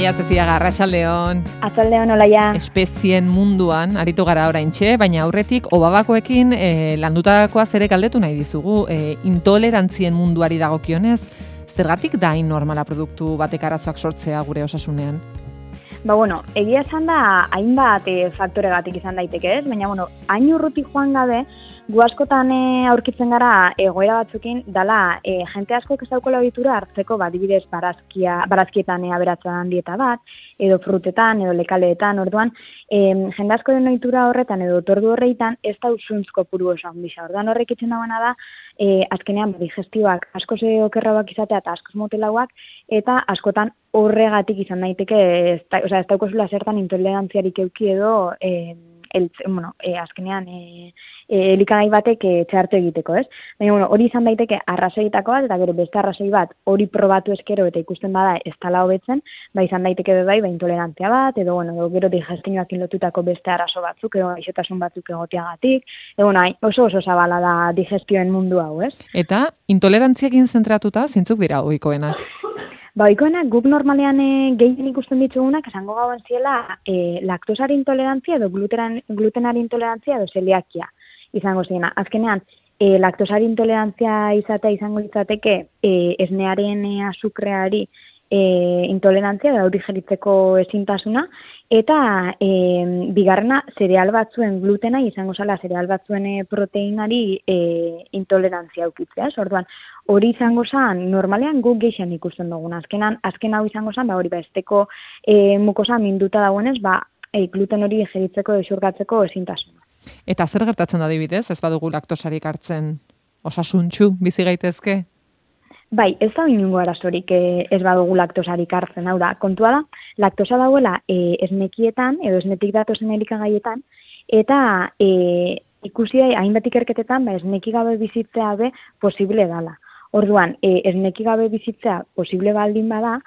Olaia Zeziaga, arratsaldeon. Arratsaldeon, Olaia. Espezien munduan aritu gara oraintxe, baina aurretik obabakoekin landutakoaz ere galdetu nahi dizugu. Intolerantzien munduari dagokionez, zergatik da normala produktu batek arazoak sortzea gure osasunean? Egia esan da hainbat faktoregatik izan daiteke, ez? Baina, hain urruti joan gabe, gu askotan aurkitzen gara egoera batzukin, dala jente asko ez daukola ohitura hartzeko, adibidez barazkietan aberatzen dieta bat, edo frutetan, edo lekaleetan, orduan, jende asko den ohitura horretan, edo otordu horreitan, ez da usuntz kopuru oso handisa. Orduan horrek itzen dagoena da, azkenean digestioak askoz okerrauak izatea eta askoz motelauak, eta askotan horregatik izan daiteke, ez daukozula zertan intolerantziarik euki edo, azkenean elikagai batek txartu egiteko, ez? Baina, hori izan daiteke arrazoietako bat, eta gero beste arrazoi bat hori probatu eskero eta ikusten bada ez dela hobetzen, izan daiteke bai intolerantzia bat, edo gero digestioakin lotutako beste arazo batzuk, edo gaixotasun batzuk egoteagatik, oso zabala da digestioen mundu hau, ez? Eta intolerantziakin zentratuta, zintzuk dira ohikoenak? Ohikoenak guk normalean gehien ikusten ditugunak, esango gauen ziela laktosari intolerantzia edo glutenari intolerantzia edo zeliakia izango ziena. Azkenean, laktosari intolerantzia izatea izango litzateke esnearen azukreari intolerantzia da hori digeritzeko ezintasuna, eta bigarrena zereal batzuen glutena izango zala zereal batzuen proteinari intolerantzia aukitzea. Orduan, hori izango zen, normalean guk geixen ikusten dugun. Azken hau izango zen, hori esteko mukosa minduta dagoenez, gluten hori digeritzeko esurgatzeko ezintasuna. Eta zer gertatzen da adibidez, ez badugu laktosarik hartzen osasuntsu bizi gaitezke? Ez da inungo arazorik ez badugu laktosarik hartzen, hau da, kontua da, laktosa dauela esnekietan edo esnetik datozen elikagaietan, eta ikusi da, hainbat ikerketetan, esneki gabe bizitzea be posible dala. Orduan, esneki gabe bizitzea posible baldin bada,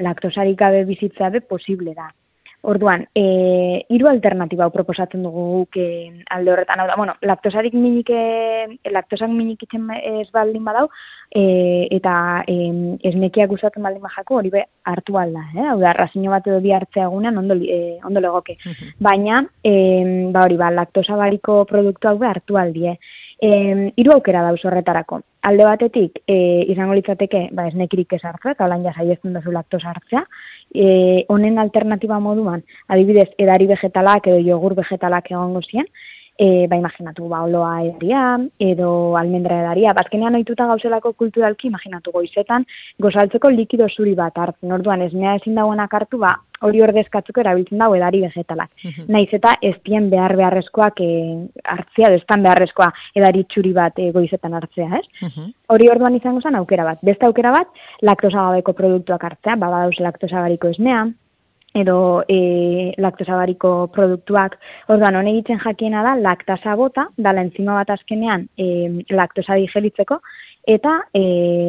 laktosarik gabe bizitzea be posible da. Orduan, 3 alternatiba proposatzen dugu guk alde horretan. Hau da, laktosak minik itzen ez baldin badau, eta esnekiak usatzen baldin bajako, hori be hartu alda. Hau da, razino bat edo bi hartzea egunean ondo legoke. Baina, laktosa bariko produktu hau be hartu aldie. 3 aukera dauz horretarako. Alde batetik, izango litzateke, esnekirik ez hartzea, eta holan jasaiezten duzu laktosa hartzea. Honen alternatiba moduan, adibidez, edari vegetalak edo jogur vegetalak egongo zien, imaginatu, oloa edaria, edo almendra edaria. Azkenean ohituta gauzelako kulturalki, imaginatu goizetan, gozaltzeko likido zuri bat hartzen. Orduan, esnea ezin dagoenak hartu, hori ordezkatzeko erabiltzen dago edari vegetalak. Naiz eta ez dien beharrezkoak hartzea, edo ez dan beharrezkoa edari txuri bat goizetan hartzea, ez? Hori orduan izango zen aukera bat. Beste aukera bat, laktosagabeko produktuak hartzea, badauz laktosagariko esnea, edo laktosagariko produktuak. Orduan, honek egiten jakiena da, laktasa bota, dala enzima bat azkenean laktosa digeritzeko, eta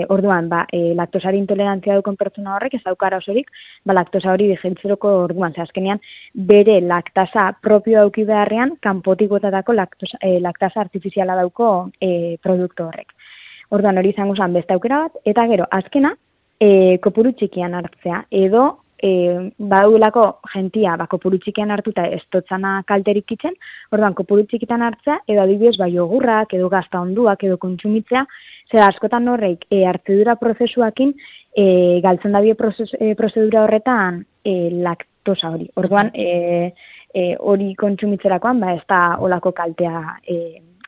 orduan, laktosari intolerantzia dukon pertsona horrek ez daukara osorik, laktosa hori digeritzeko orduan, azkenean bere laktasa propio dauki beharrean, kanpotik botatako laktasa artifiziala dauko produktu horrek. Orduan, hori izango zen beste aukera bat, eta gero, azkena, kopuru txikian hartzea, edo badaulako jentia kopuru txikian hartuta ez totzana kalterik itzen, orduan kopuru txikitan hartzea, edo adibidez jogurrak, edo gazta onduak, edo kontsumitzea, zer askotan horreik hartzedura prozesuakin galtzen dabie prozedura horretan laktosa hori. Orduan, hori kontsumitzerakoan, ez da olako kaltea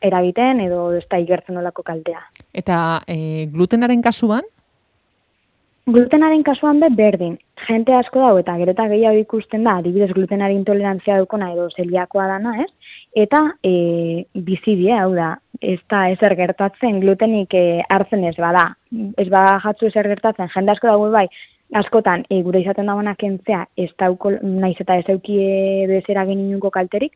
eragiten, edo ez da igertzen olako kaltea. Eta glutenaren kasuan? Glutenaren kasuan berdin. Jente asko dago eta gero eta gehiago ikusten da, adibidez glutenari intolerantzia dukona edo zeliakoa dana, ez? Eta bizidie, hau da, ez da ezer gertatzen glutenik hartzen ez bada. Ez bada jatzu ezer gertatzen, jende asko dago askotan gure izaten dagoenak kentzea ez dauko, naiz eta ez eukie bezera geninunko kalterik,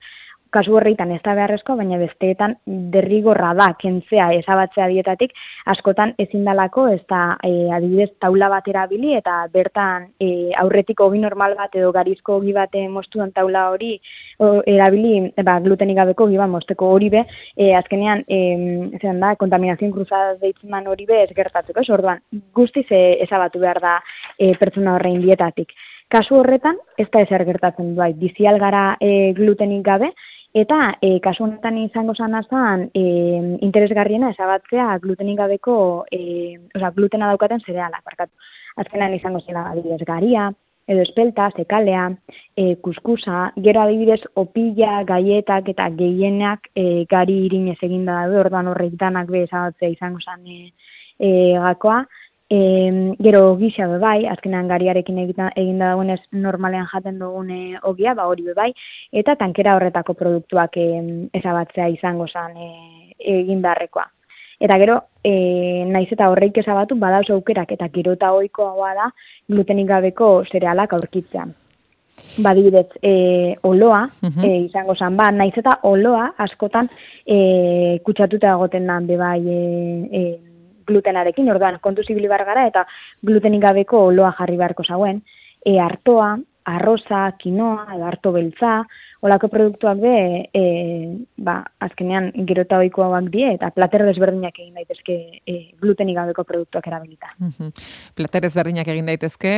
kasu horreitan ez da beharrezkoa, baina besteetan derrigorra da kentzea ezabatzea dietatik, askotan ezin dalako ez da adibidez taula bat erabili eta bertan aurretik ogi normal bat edo garizko ogi bat mostuan taula hori erabili glutenik gabeko ogi bat mosteko hori be, azkenean kontaminazioen cruzada deitzen man hori be ez gertatzeko, orduan guztiz ezabatu behar da pertsona horrein dietatik. Kasu horretan, ez da ezer gertatzen bai, bizi algara glutenik gabe, eta kasu honetan izango zanazan interesgarriena ezabatzea glutenik gabeko, glutena daukaten zerealak, barkatu. Azkenan izango zela adibidez garia, edo espelta, zekalea, kuskusa, gero adibidez opila, gaietak eta gehienak gari irinez eginda daude, orduan horrek danak be ezabatzea izango zan gakoa. Gero gisa bai, azkenean gariarekin eginda dagoenez normalean jaten dugun ogia, hori bai, eta tankera horretako produktuak ezabatzea izango zen egin beharrekoa. Eta gero, naiz eta horreik ezabatu, badauz aukerak eta gero eta ohikoa da glutenik gabeko zerealak aurkitzea. Badibidez, oloa izango zen, naiz eta oloa askotan kutsatuta egoten dan bebai glutenarekin, orduan kontu zibili bar gara eta glutenik gabeko oloa jarri beharko zauen, artoa, arroza, kinoa, edo arto beltza, olako produktuak azkenean gero eta ohikoak die eta plater desberdinak egin daitezke glutenik gabeko produktuak erabilita. Plater desberdinak egin daitezke,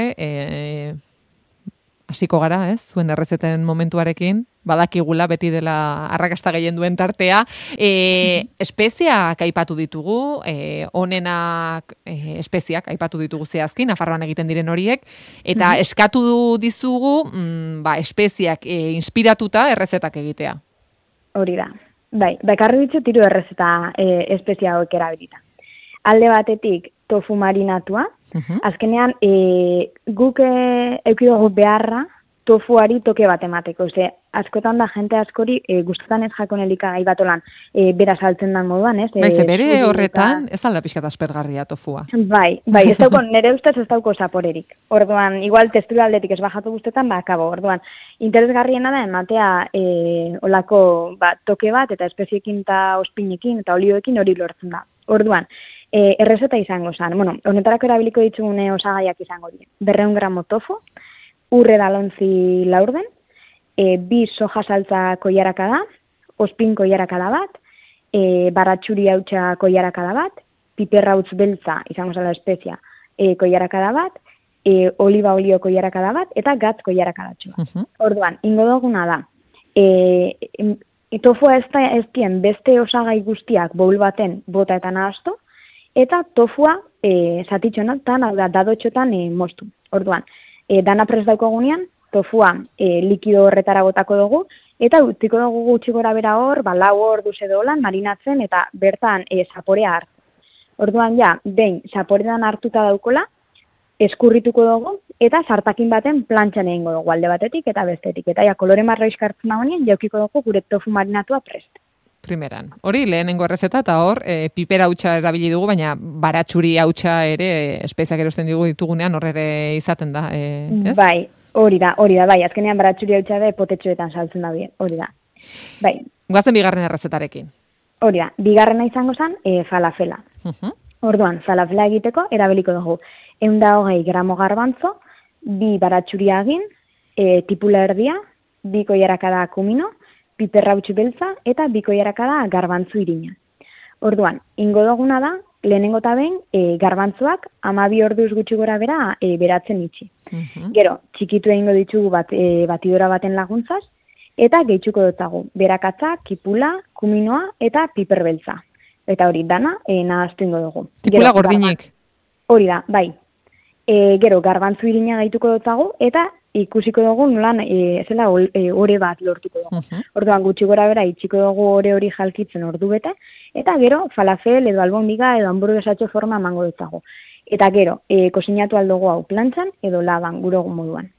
hasiko gara, ez? Zuen errezeten momentuarekin, badakigula beti dela arrakasta gehien duen tartea. Espeziak aipatu ditugu, onenak espeziak aipatu ditugu zehazki, Nafarroan egiten diren horiek, eta eskatu dizugu espeziak inspiratuta errezetak egitea. Hori da. Bai, bakarri ditut 3 errezeta espezia hauek erabilita. Alde batetik, tofu marinatua. Azkenean, guk eukidugu beharra tofuari toke bat emateko. Askotan da jente askori guztetan ez jakon elikagai bat olan bera saltzen dan moduan, ez? Bere horretan, ez alda pixkat aspergarria tofua. Bai, ez dauko, nire ustez ez dauko zaporerik. Orduan, igual testura aldetik ez bajatu guztetan, akabo. Orduan, interesgarriena da ematea olako toke bat eta espeziekin eta ospinekin eta olioekin hori lortzen da. Orduan, errezeta izango zen. Honetarako erabiliko ditugune osagaiak izango dira. 200 gramo tofu, urre dalontzi laurden, 2 soja saltza koiarakada, ospin koiarakada bat, baratxuri hautsa koiarakada bat, piperra utz beltza, izango zela espezia, koiarakada bat, oliba olio koiarakada bat, eta gatz koiarakadatxo bat. Orduan, ingo duguna da, tofua ez dien beste osagai guztiak bowl baten bota eta nahastu, eta tofua zatitxonetan, dadotxotan moztu. Orduan, dana prest daukogunean, tofua likido horretara botako dugu, eta utziko dugu gutxi gora bera hor, 4 orduz edo lan marinatzen, eta bertan zaporea hartzen. Orduan behin zaporetan hartuta daukola, eskurrituko dugu, eta sartakin baten plantxan egingo dugu alde batetik eta bestetik. Eta kolore marra iskartzen dagoenean, jaukiko dugu gure tofu marinatua prest. Primeran. Hori lehenengo errezeta eta hor piper hautsa erabili dugu, baina baratxuri hautsa ere espeziak erosten ditugunean hor ere izaten da, ez? Bai, hori da, bai. Azkenean baratxuri hautsa da potetxoetan saltzen da bien, hori da. Bai. Guazen bigarren errezetarekin. Hori da, bigarrena izango zen falafela. Orduan, falafela egiteko erabiliko dugu 120 gramo garbantzo, 2 baratxuri agin, tipula erdia, 2 koiarakada kumino, piperra utzi beltza eta 2 koiarakada garbantzu irina. Orduan, ingo duguna da, lehenengo eta behin garbantzuak 12 orduz gutxi gora bera beratzen itxi. Gero, txikitu egingo ditugu batidora baten laguntzaz, eta gehitzuko dutagu berakatza, kipula, kuminoa eta piper beltza. Eta hori dana nahaztu ingo dugu. Tipula gordinik. Hori da, bai. Gero, garbantzu irina gaituko dutagu, eta ikusiko dugu nolan zela ore bat lortuko dugu. Orduan gutxi gora bera itxiko dugu hori jalkitzen ordu bete, eta gero falafel edo albondiga edo hamburguesatxo forma emango dutagu. Eta gero, kozinatu aldugu hau plantxan edo laban gure moduan.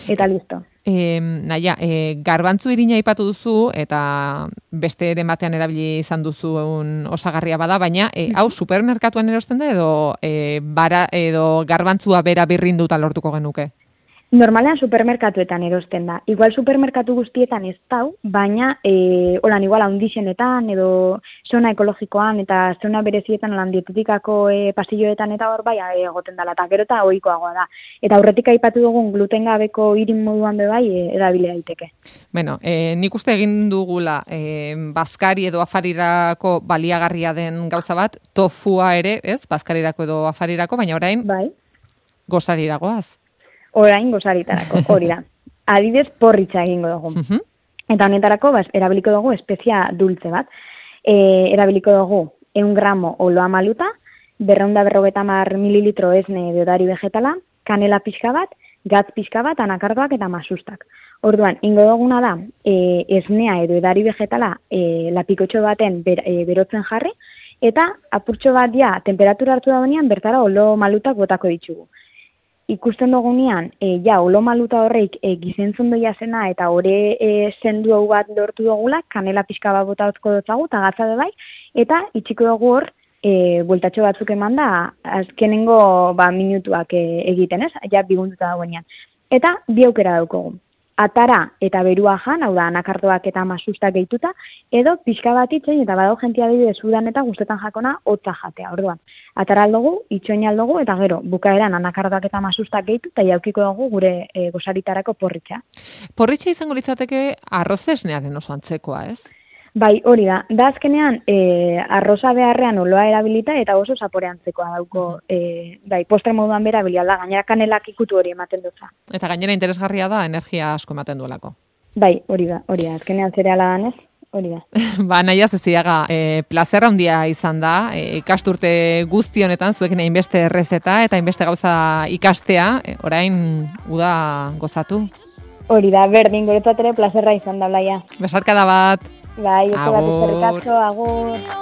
Eta listo. Naia, garbantzu irina aipatu duzu eta beste ere batean erabili izan duzu osagarria bada, baina hau supermerkatuan erosten da edo garbantzua bera birrinduta lortuko genuke? Normalean supermerkatuetan erosten da. Igual supermerkatu guztietan ez dau, baina holan igual handixenetan edo zona ekologikoan eta zona berezietan holan dietetikako pasilloetan eta hor bai egoten dela, eta gero eta ohikoagoa da. Eta aurretik aipatu dugun gluten gabeko irin moduan be bai erabili daiteke. Bueno, nik uste egin dugula bazkari edo afarirako baliagarria den gauza bat, tofua ere, ez? Bazkarirako edo afarirako, baina orain bai. gozariragoaz. orain gozaritarako, hori da. Adibidez, porritxa egingo dugu. Eta honetarako, erabiliko dugu espezia dultze bat. Erabiliko dugu 100 gramo oloa maluta, 250 mililitro esne edo edari vegetala, kanela pixka bat, gatz pixka bat, anakardoak eta masustak. Orduan, ingo duguna da, esnea edo edari vegetala lapikotxo baten berotzen jarri, eta apurtxo bat temperatura hartu da denean, bertara olo malutak botako ditugu. Ikusten dugunean, olo maluta horreik gizentzundoia zena eta ore zendu hau bat lortu dugula, kanela pixka bat botatzko dutzagu, eta gatza bai, eta itxiko dugu hor, bueltatxo batzuk eman da, azkenengo minutuak egiten, ez? Bigunduta dagoenean. Eta bi aukera daukogu. Atara eta berua jan, hau da, anakardoak eta masustak gehituta, edo pixka bat itxoin eta badau jentia adibidez udan eta guztetan jakona hotza jatea. Orduan, atara aldugu, itxoin aldugu, eta gero, bukaeran anakardoak eta masustak gehitu, eta jaukiko dugu gure gozaritarako porritxa. Porritxa izango litzateke arroz esnearen oso antzekoa, ez? Bai, hori da. Da azkenean, arroza beharrean oloa erabilita eta oso zapore antzekoa dauko, postre moduan berabilia da, gainera kanelak ikutu hori ematen dutza. Eta gainera interesgarria da, energia asko ematen duelako. Bai, hori da. Azkenean zereala danez, hori da. Naia Zeziaga, plazerra handia izan da, ikasturte guzti honetan, zuekin hainbeste errezeta eta hainbeste gauza ikastea, orain uda gozatu. Hori da, berdin, guretzat ere plazerra izan da, Blaia. Besarkada bat. Bai, oso bat eskerrik asko, agur.